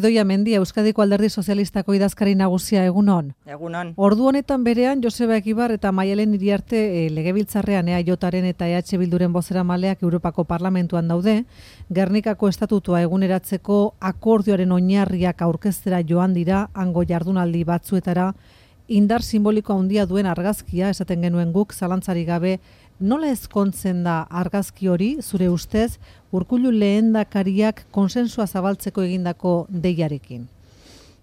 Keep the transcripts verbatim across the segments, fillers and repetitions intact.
Idoia Mendia, Euskadiko Alderdi Sozialistako idazkari nagusia, egunon. Egunon. Ordu honetan berean, Joseba Egibar eta Maialen Iriarte e, legebiltzarrean EAJaren eta E H Bilduren bozeramaleak Europako Parlamentuan daude, Gernikako estatutua eguneratzeko akordioaren oinarriak aurkeztera joan dira, hango jardunaldi batzuetara, indar simboliko handia duen argazkia, esaten genuen guk, zalantzari gabe, nola ezkontzen da argazki hori, zure ustez, Urkullu lehendakariak konsensua zabaltzeko egindako deiarekin?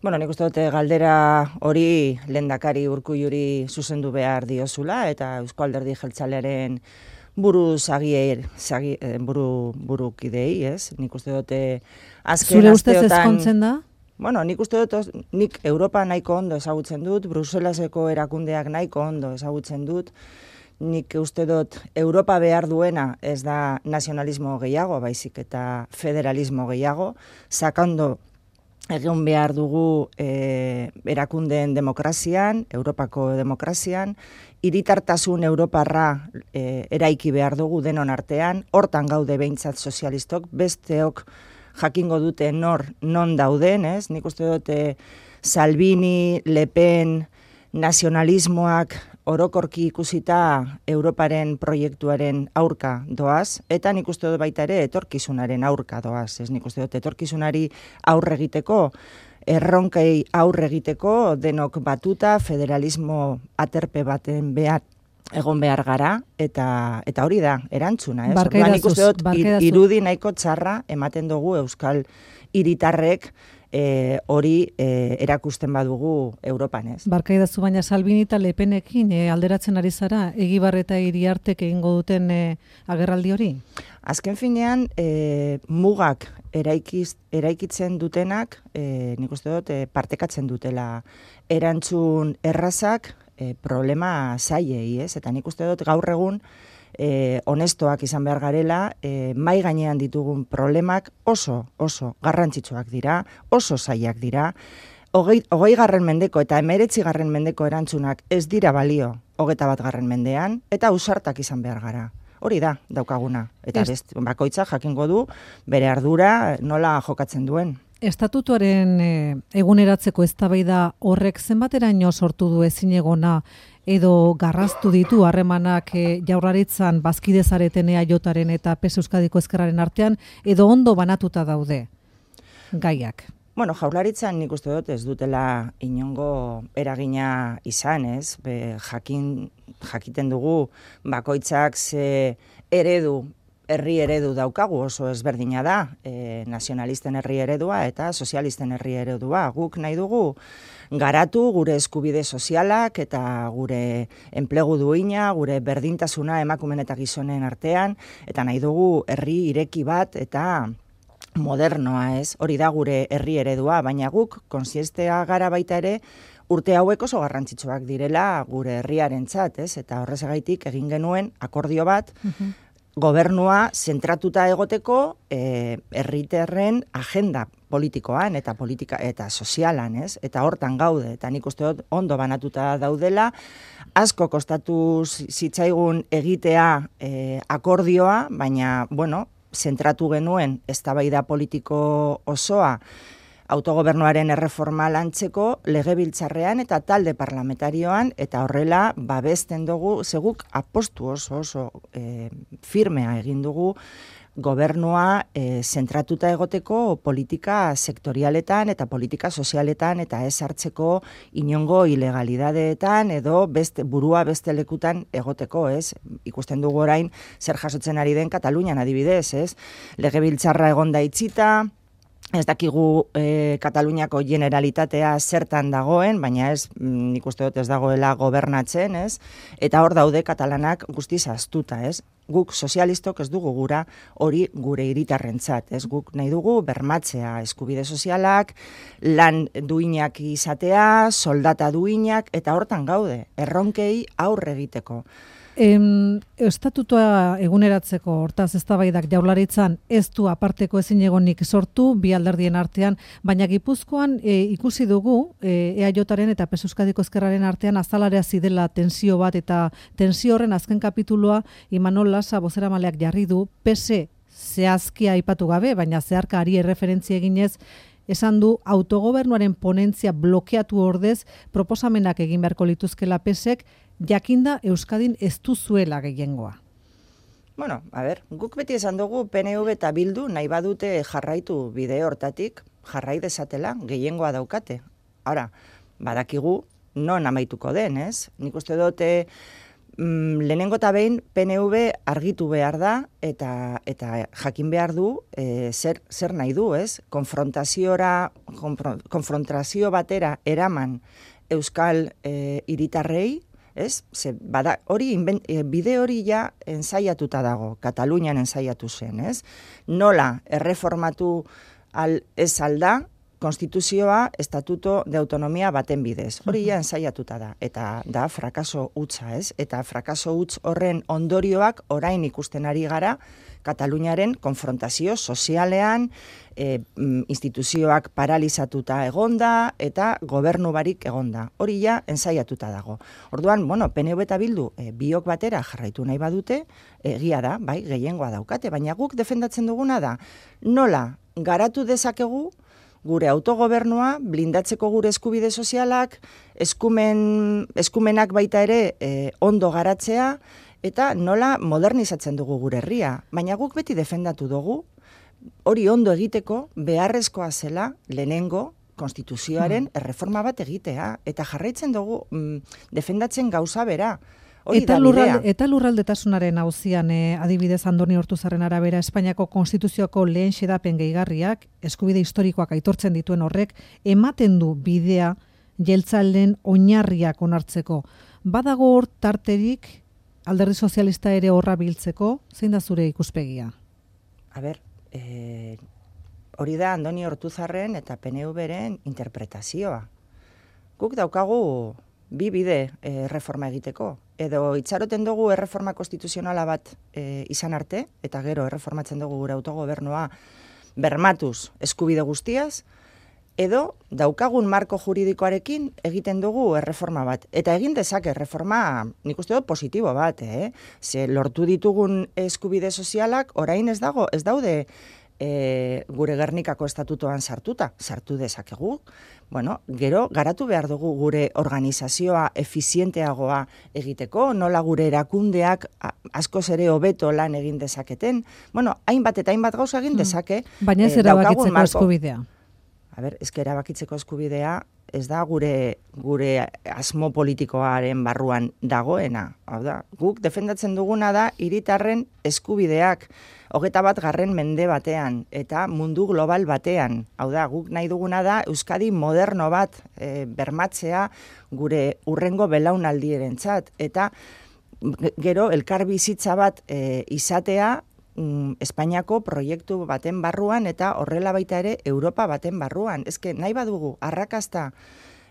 Bueno, nik uste dute galdera hori lehendakari Urkulluri zuzendu behar diozula, eta Eusko Alderdi Jeltzalearen buru zagier, zagi, buru, burukidei, ez? Nik uste dute azken zure ustez asteotan... ezkontzen da? Bueno, nik uste dut, nik Europa nahiko ondo ezagutzen dut, Bruselaseko erakundeak nahiko ondo ezagutzen dut, nik uste dut Europa behar duena ez da nazionalismo gehiago, baizik eta federalismo gehiago, sakando egon behar dugu e, erakundeen demokrazian, Europako demokrazian, hiritartasun Europarra e, eraiki behar dugu denon artean, hortan gaude behintzat sozialistok, besteok jakingo dute nor non dauden, ez? Nik uste dute Salvini, Le Pen, nazionalismoak orokorki ikusita Europaren proiektuaren aurka doaz, eta nik uste dut baita ere etorkizunaren aurka doaz. Ez nik uste dut etorkizunari aurre egiteko, erronkei aurre egiteko, denok batuta, federalismo aterpe baten behar egon behar gara, eta eta hori da, erantzuna. Ez? Orduan, nik uste dut irudi nahiko txarra ematen dugu Euskal hiritarrek, E, hori e, erakusten badugu Europan, ez? Barkaidazu, baina Salvini eta Le Penekin e, alderatzen ari zara, Egibar eta Iriartek egingo duten e, agerraldi hori? Azken finean, e, mugak eraikiz, eraikitzen dutenak, e, nik uste dut, e, partekatzen dutela erantzun errazak e, problema zaiei, ez? Eta nik uste dut gaur egun, Eh, honestoak izan behar garela, eh, mai gainean ditugun problemak oso, oso garrantzitsuak dira, oso zailak dira, hogei, hogei garren mendeko eta emeretzi garren mendeko erantzunak ez dira balio hogeita bat garren mendean, eta ausartak izan behar gara. Hori da, daukaguna. Eta best, bakoitza jakingo du bere ardura nola jokatzen duen. Estatutuaren e, eguneratzeko eztabaida horrek zenbateraino sortu du ezinegona edo garraztu ditu harremanak e, Jaurlaritzan bazkide zareten EAJaren eta P S Euskadiko Ezkerraren artean, edo ondo banatuta daude gaiak? Bueno, Jaurlaritzan nik uste dut ez dutela inongo eragina izan, ez? Be, jakin, jakiten dugu bakoitzak ze eredu, herri eredu daukagu, oso ezberdina da, e, nazionalisten herri eredua eta sozialisten herri eredua. Guk nahi dugu garatu gure eskubide sozialak eta gure enplegu duina, gure berdintasuna emakumeen eta gizonen artean, eta nahi dugu herri ireki bat eta modernoa, ez? Hori da gure herri eredua, baina guk konsiestea gara baita ere urte hauek oso garrantzitsuak direla gure herriarentzat, ez? Eta horrezagaitik egin genuen akordio bat, uh-huh. Gobernua zentratuta egoteko eh, herritarren agenda politikoan eta politika eta sozialan, ez? Eta hortan gaude, eta nik uste dut ondo banatuta daudela, asko kostatu zitzaigun egitea eh, akordioa, baina, bueno, zentratu genuen eztabaida politiko osoa autogobernuaren erreforma lantzeko legebiltzarrean eta talde parlamentarioan, eta horrela babesten dugu, zeguk apostu oso oso e, firmea egin dugu gobernua e, zentratuta egoteko politika sektorialetan eta politika sozialetan eta ez hartzeko inongo ilegalidadeetan edo beste, burua beste lekutan egoteko, ez? Ikusten dugu orain zer jasotzen ari den Katalunian adibidez, ez? Legebiltzarra egonda itxita, ez dakigu e, Kataluniako generalitatea zertan dagoen, baina ez, nik uste dut ez dagoela gobernatzen, ez? Eta hor daude katalanak guztiz ahaztuta, ez? Guk sozialistok ez dugu gura hori gure hiritarrentzat, ez? Guk nahi dugu bermatzea eskubide sozialak, lan duinak izatea, soldata duinak, eta hortan gaude, erronkei aurre egiteko. Em, estatutua eguneratzeko hortaz eztabaidak Jaurlaritzan ez du aparteko ezinegonik sortu bi alderdien artean, baina Gipuzkoan e, ikusi dugu e, EAJaren eta P S Euskadiko Ezkerraren artean azalarea zidela tensio bat, eta tensio horren azken kapitulua Imanol Lasa bozeramaleak jarri du, P S zehazkia aipatu gabe, baina zeharka ari erreferentzia eginez esan du autogobernuaren ponentzia blokeatu ordez proposamenak egin beharko lituzkela pesek, jakinda Euskadin ez duzuela gehiengoa. Bueno, a ber, guk beti esan dugu P N V eta Bildu nahi badute jarraitu bide hortatik, jarrai dezatela, gehiengoa daukate. Ora, badakigu non amaituko den, ez? Nik uste dute mm, lehenengo eta behin P N V argitu behar da eta eta jakin behar du e, zer, zer nahi du, ez? Konfrontaziora, konfrontazio batera eraman Euskal e, hiritarrei, ez? Ze, bada, hori inben, e, bide hori ja ensaiatuta dago, Katalunian ensaiatu zen, ez? Nola erreformatu al, ez alda, konstituzioa estatuto de autonomia baten bidez. Hori ja ensaiatuta da, eta da frakaso hutsa, ez? Eta frakaso huts horren ondorioak orain ikusten ari gara Kataluniaren konfrontazio sozialean, e, instituzioak paralizatuta egonda eta gobernu barik egonda. Hori ja ensaiatuta dago. Orduan, bueno, P N V eta Bildu e, biok batera jarraitu nahi badute, egia da, bai, gehiengoa daukate, baina guk defendatzen duguna da, nola garatu dezakegu gure autogobernua, blindatzeko gure eskubide sozialak, eskumen, eskumenak baita ere e, ondo garatzea, eta nola modernizatzen dugu gure herria. Baina guk beti defendatu dugu, hori ondo egiteko beharrezkoa zela lehenengo konstituzioaren erreforma bat egitea. Eta jarraitzen dugu mm, defendatzen gauza bera. Hori eta, da lurral, eta lurraldetasunaren auzian eh, adibidez Andoni Ortuzarren arabera Espainiako konstituzioko lehen xedapen gehigarriak, eskubide historikoak aitortzen dituen horrek, ematen du bidea jeltzalen oinarriak onartzeko. Badago hor tarterik Alderdi Sozialista ere horra biltzeko, zein da zure ikuspegia? A ber, eh, hori da Andoni Ortuzarren eta P N V-ren interpretazioa. Guk daukagu bi bide e, reforma egiteko. Edo itxaroten dugu erreforma konstituzionala bat e, izan arte, eta gero erreformatzen dugu gure autogobernua bermatuz eskubide guztiaz, edo daukagun marko juridikoarekin egiten dugu erreforma bat. Eta egin dezake erreforma, nik uste dut positibo bat, eh? Ze lortu ditugun eskubide sozialak orain ez dago, ez daude e, gure Gernikako estatutoan sartuta, sartu dezakegu. Bueno, gero garatu behar dugu gure organizazioa efizienteagoa egiteko, nola gure erakundeak askoz ere hobeto lan egin dezaketen. Bueno, hainbat eta hainbat gauza egin dezake. Baina ez eh, erabakitzeko eskubidea. A ber, ezke erabakitzeko eskubidea ez da gure gure asmo politikoaren barruan dagoena. Hau da, guk defendatzen duguna da hiritarren eskubideak hogeta bat garren mende batean eta mundu global batean. Hau da, guk nahi duguna da Euskadi moderno bat e, bermatzea gure urrengo belaunaldierentzat eta gero elkar bizitza bat e, izatea Espainiako proiektu baten barruan eta horrela baita ere Europa baten barruan. Ezke nahi badugu arrakasta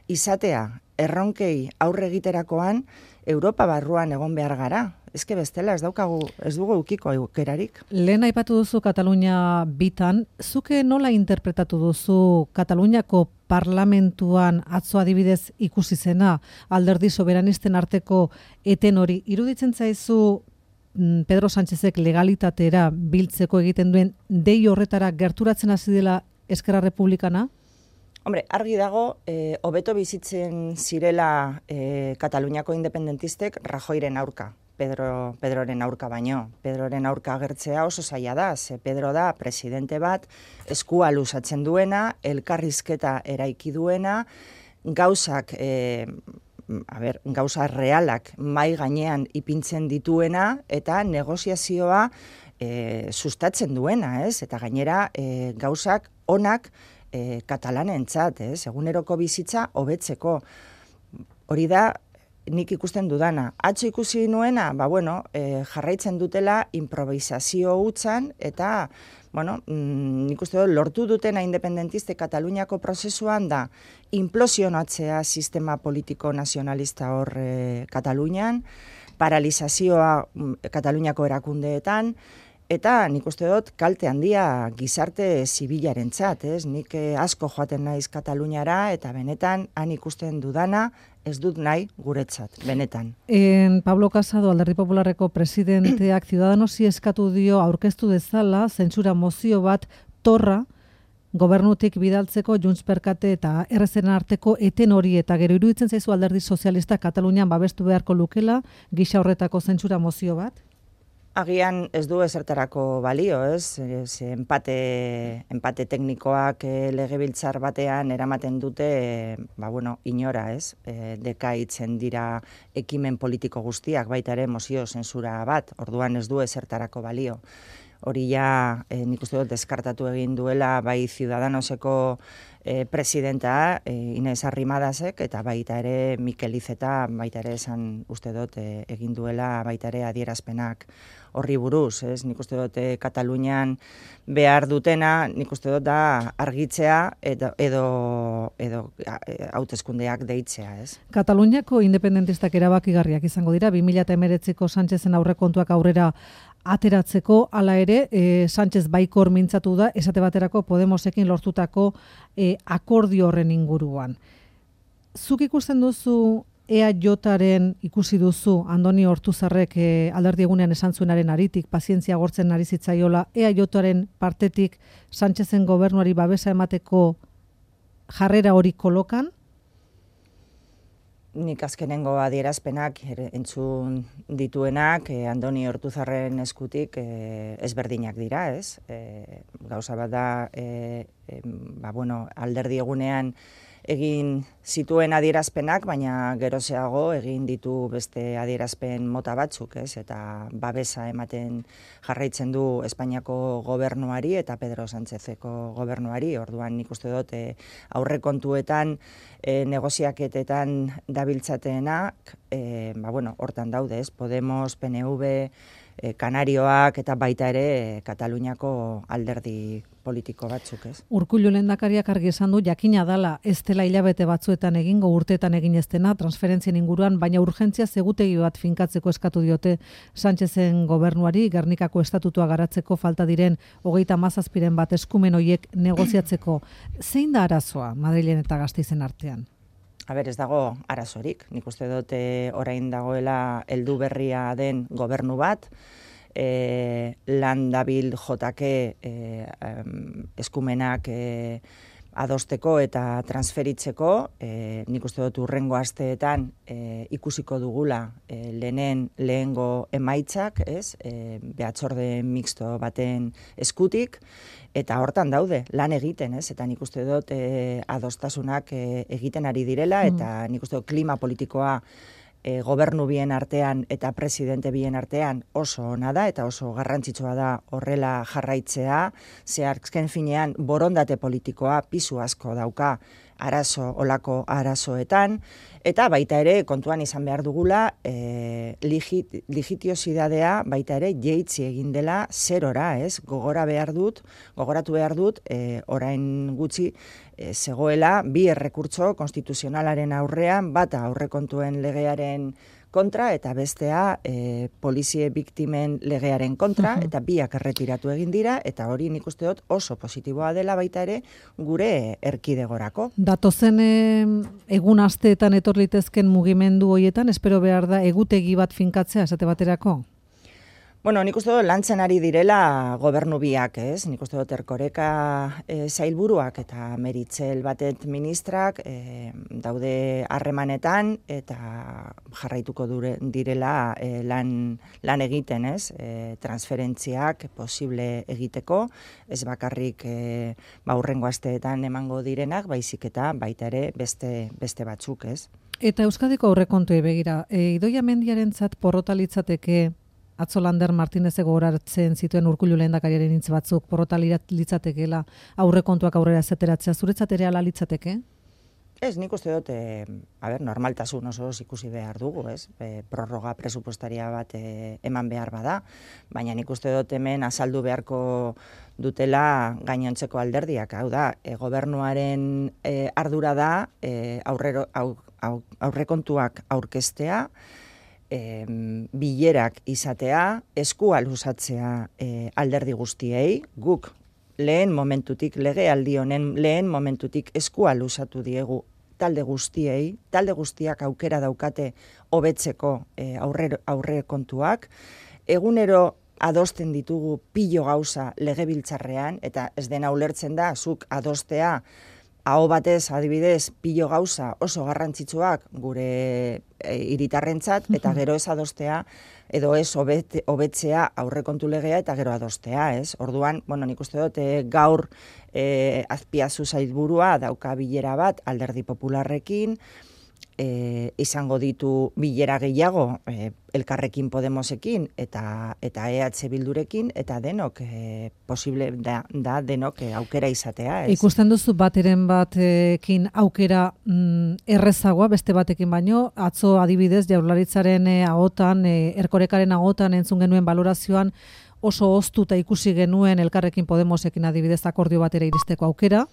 izatea erronkei aurre egiterakoan Europa barruan egon behar gara. Ezke bestela ez daukagu, ez dugu ukiko aukerarik. Lehen aipatu duzu Katalunia bitan, zuke nola interpretatu duzu Kataluniako parlamentuan atzo adibidez ikusi zena alderdi soberanisten arteko eten hori? Iruditzen zaizu Pedro Sánchezek legalitatera biltzeko egiten duen dei horretara gerturatzen hasi dela Eskerra Republikana? Hombre, argi dago, eh, hobeto bizitzen zirela eh, Kataluniako independentistek Rajoyren aurka, Pedro, Pedroren aurka baino. Pedroren aurka agertzea oso zaila da, ze Pedro da presidente bat, eskua luzatzen duena, elkarrizketa eraiki duena, gauzak... Eh, a ber, gauza realak mai gainean ipintzen dituena eta negoziazioa e, sustatzen duena, ez? Eta gainera e, gauzak onak e, katalanentzat, ez? Eguneroko bizitza hobetzeko. Hori da nik ikusten dudana. Atzo ikusi nuena, ba bueno, e, jarraitzen dutela improvisazio hutsan eta bueno, mm, nik uste dut, lortu dutena independentiste Kataluniako prozesuan da implosionatzea sistema politiko nazionalista hor e, Katalunian, paralizazioa mm, Kataluniako erakundeetan, eta nik uste dut kalte handia gizarte zibilarentzat, ez? Nik eh, asko joaten naiz Kataluniara eta benetan han ikusten dudana ez dut nahi guretzat, benetan. En Pablo Casado, Alderdi Popularreko presidenteak Ciudadanosi eskatu dio aurkeztu dezala zentsura mozio bat torra gobernutik bidaltzeko Junts per Kate eta errezeren arteko eten hori eta gero iruditzen zaizu alderdi sozialista Katalunian babestu beharko lukela gisa horretako zentsura mozio bat? Agian ez du ezertarako balio, ez? ez empate, empate teknikoak e, legebiltzar batean eramaten dute, e, ba bueno, inora, ez? E, dekaitzen dira ekimen politiko guztiak, baita ere mozio zensura bat, orduan ez du ezertarako balio. Hori ja, e, nik uste dut deskartatu egin duela bai Ciudadanoseko e, presidenta e, Inés Arrimadasek eta baita ere Mikel Iceta baita ere esan uste dut e, egin duela baita ere adierazpenak horri buruz, ez? Nik uste dut e, Katalunian behar dutena, nik uste dut da argitzea edo edo, edo hauteskundeak deitzea, ez? Kataluniako independentistak erabakigarriak izango dira, bi mila hemeretziko Sánchezen aurrekontuak aurrera ateratzeko, hala ere, e, Sánchez baikor mintzatu da, esate baterako Podemosekin lortutako e, akordio horren inguruan. Zuk ikusten duzu E A Jaren ikusi duzu Andoni Ortuzarrek e, alderdi egunean esan zuenaren aritik, pazientzia gortzen ari zitzaiola, E A Jaren partetik Sánchezen gobernuari babesa emateko jarrera hori kolokan? Nik azkenengo adierazpenak entzun dituenak eh, Andoni Ortuzarren eskutik eh, ezberdinak dira, ez? Eh, gauza bat da, eh, eh, ba, bueno, alderdi egunean egin zituen adierazpenak, baina gerozeago egin ditu beste adierazpen mota batzuk, ez? Eta babesa ematen jarraitzen du Espainiako gobernuari eta Pedro Sánchezeko gobernuari, orduan nik uste dut eh, aurrekontuetan E, negoziaketetan dabiltzatenak, e, ba, bueno, hortan daude, ez? Podemos, P N V, e, Kanarioak eta baita ere e, Kataluniako alderdi politiko batzuk, ez? Urkullu lehendakariak argi esan du jakina dala ez dela hilabete batzuetan egingo, urteetan egin ez dena transferentzien inguruan, baina urgentzia zegutegi bat finkatzeko eskatu diote Sánchezen gobernuari, Gernikako estatutua garatzeko falta diren hogeita hamazazpiren bat eskumen hoiek negoziatzeko. Zein da arazoa Madrilen eta Gasteizen artean? A ber, ez dago arazorik. Nik uste dute orain dagoela heldu berria den gobernu bat, E, lan dabil jotake e, um, eskumenak e, adosteko eta transferitzeko, e, nik uste dut urrengo asteetan e, ikusiko dugula e, lehenen lehengo emaitzak, ez? E, behatzorde mixto baten eskutik, eta hortan daude, lan egiten, ez? Eta nik uste dut e, adostasunak e, egiten ari direla, eta nik uste dut klima politikoa E, gobernu bien artean eta presidente bien artean oso ona da eta oso garrantzitsua da horrela jarraitzea, ze azken finean borondate politikoa pisu asko dauka arazo olako arazoetan, eta baita ere kontuan izan behar dugula e, legit, legitiosidadea baita ere jeitzi egin dela zerora, ez? Gogora behar dut, gogoratu behar dut, e, orain gutxi e, zegoela bi errekurtso konstituzionalaren aurrean, bata aurrekontuen legearen kontra eta bestea e, polizie biktimen legearen kontra, uh-huh. eta biak erretiratu egin dira, eta hori nik uste dut oso positiboa dela baita ere gure erkidegorako. Datozen egun asteetan etor litezken mugimendu hoietan, espero behar da egutegi bat finkatzea esate baterako? Bueno, nik uste dut lantzen ari direla gobernu biak, ez? Nik uste dut Erkoreka e, zailburuak eta Meritxell Batet ministrak e, daude harremanetan eta jarraituko dure, direla e, lan, lan egiten, ez? E, transferentziak posible egiteko, ez bakarrik e, ba, hurrengo asteetan emango direnak, baizik eta baita ere beste, beste batzuk, ez? Eta Euskadiko aurrekontuei begira, e, Idoia Mendiarentzat porrota litzateke atzo Lander Martinezek gogoratzen zituen Urkullu lehendakariaren hitz batzuk, porrota litzatekeela aurrekontuak aurrera zeteratzea, zuretzat ere hala litzateke? Ez, nik uste dut, e, a ber, normaltasun oso ikusi behar dugu, ez? E, prorroga presupuestaria bat e, eman behar bada, baina nik uste dut hemen azaldu beharko dutela gainontzeko alderdiak, hau da, e, gobernuaren e, ardura da e, aurrero, au, au, aurrekontuak aurkeztea, E, bilerak izatea, eskua luzatzea e, alderdi guztiei, guk lehen momentutik, legealdi honen lehen momentutik eskua luzatu diegu talde guztiei, talde guztiak aukera daukate hobetzeko e, aurre, aurre kontuak, egunero adosten ditugu pilo gauza legebiltzarrean, eta ez dena ulertzen da, zuk adostea, aho batez, adibidez, pilo gauza oso garrantzitsuak gure e, hiritarrentzat, eta gero ez adostea, edo ez hobet, hobetzea aurrekontu legea eta gero adostea, ez? Orduan, bueno, nik uste dut, e, gaur e, Azpiazu sailburua dauka bilera bat Alderdi Popularrekin, E, izango ditu bilera gehiago e, Elkarrekin Podemosekin eta eta E H Bildurekin, eta denok e, posible da, da denok e, aukera izatea. Ez? Ikusten duzu bateren batekin aukera mm, errezagoa beste batekin baino, atzo adibidez Jaurlaritzaren e, ahotan, e, Erkorekaren ahotan entzun genuen balorazioan oso oztuta ikusi genuen Elkarrekin Podemosekin adibidez akordio batera iristeko aukera.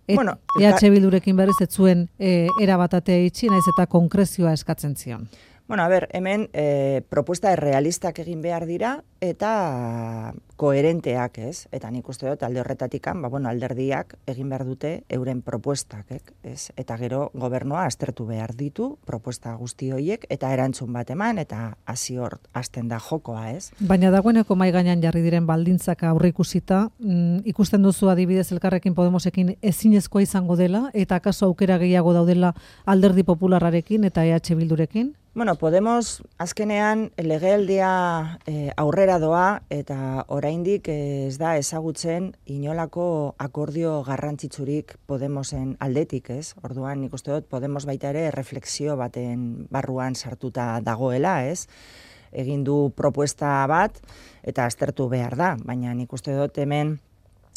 Et, bueno, E H Bildurekin berriz ez zuen e, erabatatea itxi, naiz eta konkrezioa eskatzen zion. Bueno, a ber, hemen e, propuesta errealistak egin behar dira eta koherenteak, ez? Eta nik uste dut alde horretatikan, ba, bueno, alderdiak egin behar dute euren propuestak, ez? Eta gero gobernua aztertu behar ditu propuesta guzti horiek eta erantzun bat eman eta hasi hor hasten da jokoa, ez? Baina dagoeneko mai gainean jarri diren baldintzak aurre ikusita, mm, ikusten duzu adibidez Elkarrekin Podemosekin ezinezkoa izango dela eta akaso aukera gehiago daudela Alderdi Popularrarekin eta E H Bildurekin? Bueno, Podemos azkenean legealdia e, aurrera doa eta oraindik ez da ezagutzen inolako akordio garrantzitsurik Podemosen aldetik, ez? Orduan nik uste dut Podemos baita ere refleksio baten barruan sartuta dagoela, ez? Egin du propuesta bat eta aztertu behar da, baina nik uste dut hemen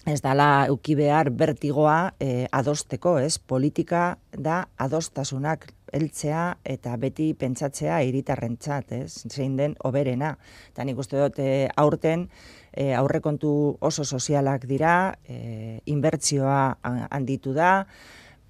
ez dala euki behar bertigoa e, adosteko, ez? Politika da adostasunak heltzea eta beti pentsatzea hiritarrentzat, ez? Zein den hoberena. Eta nik uste dut e, aurten e, aurrekontu oso sozialak dira, e, inbertsioa handitu da,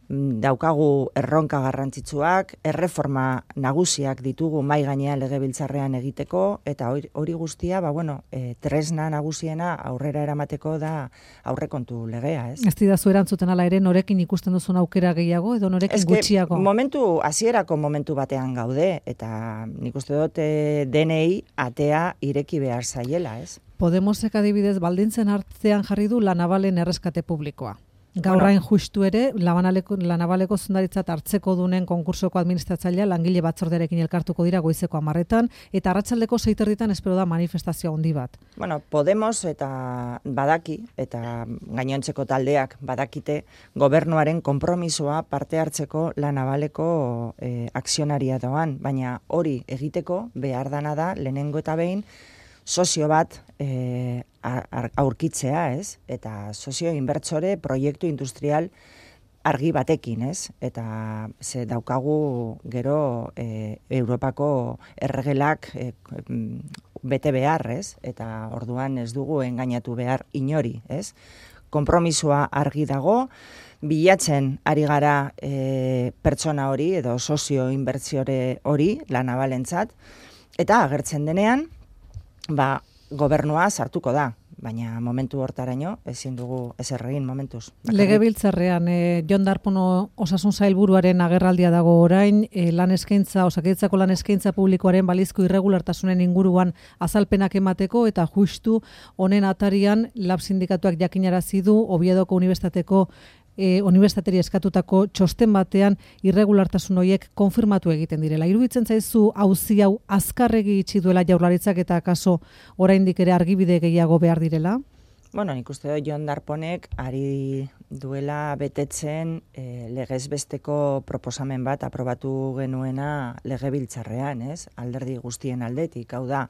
daukagu erronka garrantzitsuak, erreforma nagusiak ditugu mai gainean legebiltzarrean egiteko, eta hori guztia, ba, bueno, e, tresna nagusiena aurrera eramateko da aurrekontu legea, ez? Ez didazu erantzuten ala ere, norekin ikusten duzun aukera gehiago, edo norekin Ez gutxiago? Momentu, hasierako momentu batean gaude, eta nik uste dut e, denei atea ireki behar zaiela, ez? Podemosek adibidez baldintzen artean jarri du La Navalen erreskate publikoa. Gaurrain bueno, justu ere, La Navaleko zundaritzat hartzeko dunen konkursoko administratzailea langile batzordearekin elkartuko dira goizeko hamarretan, eta arratsaldeko seiterditan espero da manifestazio handi bat. Bueno, Podemos eta badaki, eta gainontzeko taldeak badakite, gobernuaren konpromisoa parte hartzeko La Navaleko e, akzionaria doan, baina hori egiteko behar dana da lehenengo eta behin, sozio bat e, aurkitzea, ez? Eta sozio inbertsore proiektu industrial argi batekin, ez? Eta ze daukagu gero e, Europako erregelak e, bete behar, ez? Eta orduan ez dugu engainatu behar inori, ez? Konpromisoa argi dago, bilatzen ari gara e, pertsona hori edo sozio inbertsiore hori, La Navalentzat, eta agertzen denean, ba, gobernua sartuko da, baina momentu hortaraino ezin dugu ezer egin momentuz. Legebiltzarrean, e, Jon Darpón Osasun Sailburuaren agerraldia dago orain, e, lan eskaintza, Osakidetzako lan eskaintza publikoaren balizko irregulartasunen inguruan azalpenak emateko, eta justu honen atarian lab sindikatuak jakinarazi du Oviedoko Unibertsitateko E, unibertsitateri eskatutako txosten batean irregulartasun horiek konfirmatu egiten direla. Iruditzen zaizu auzi hau azkarregi itxi duela Jaurlaritzak eta akaso oraindik ere argibide gehiago behar direla? Bueno, nik uste dut Jon Darponek ari duela betetzen e, legezbesteko proposamen bat aprobatu genuena legebiltzarrean, ez? Alderdi guztien aldetik, hau da,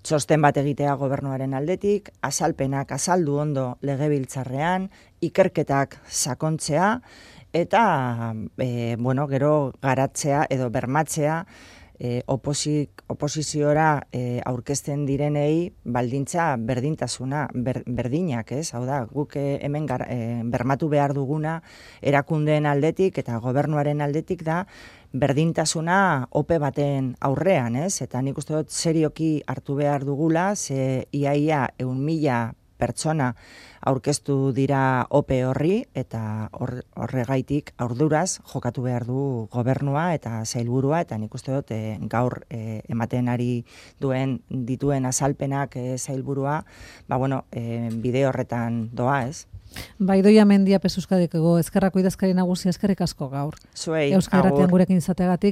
txosten bat egitea gobernuaren aldetik, azalpenak azaldu ondo legebiltzarrean, ikerketak sakontzea, eta e, bueno, gero garatzea edo bermatzea e, opozik, oposiziora e, aurkezten direnei baldintza berdintasuna, ber, berdinak, ez? Hau da, guk hemen gar, e, bermatu behar duguna erakundeen aldetik eta gobernuaren aldetik da, berdintasuna ope baten aurrean, ez? Eta nik uste dut serioki hartu behar dugula, ze iaia eun mila pertsona aurkeztu dira ope horri eta horregaitik aurduraz jokatu behar du gobernua eta sailburua, eta nik uste dut e, gaur e, ematen ari duen dituen azalpenak e, sailburua, ba bueno, e, bide horretan doa, ez? Bai, Idoia Mendia P S Euskadiko ezkerrako idazkari nagusia, eskerrik asko gaur. Zuei, Euskal Irratian gurekin izateagatik.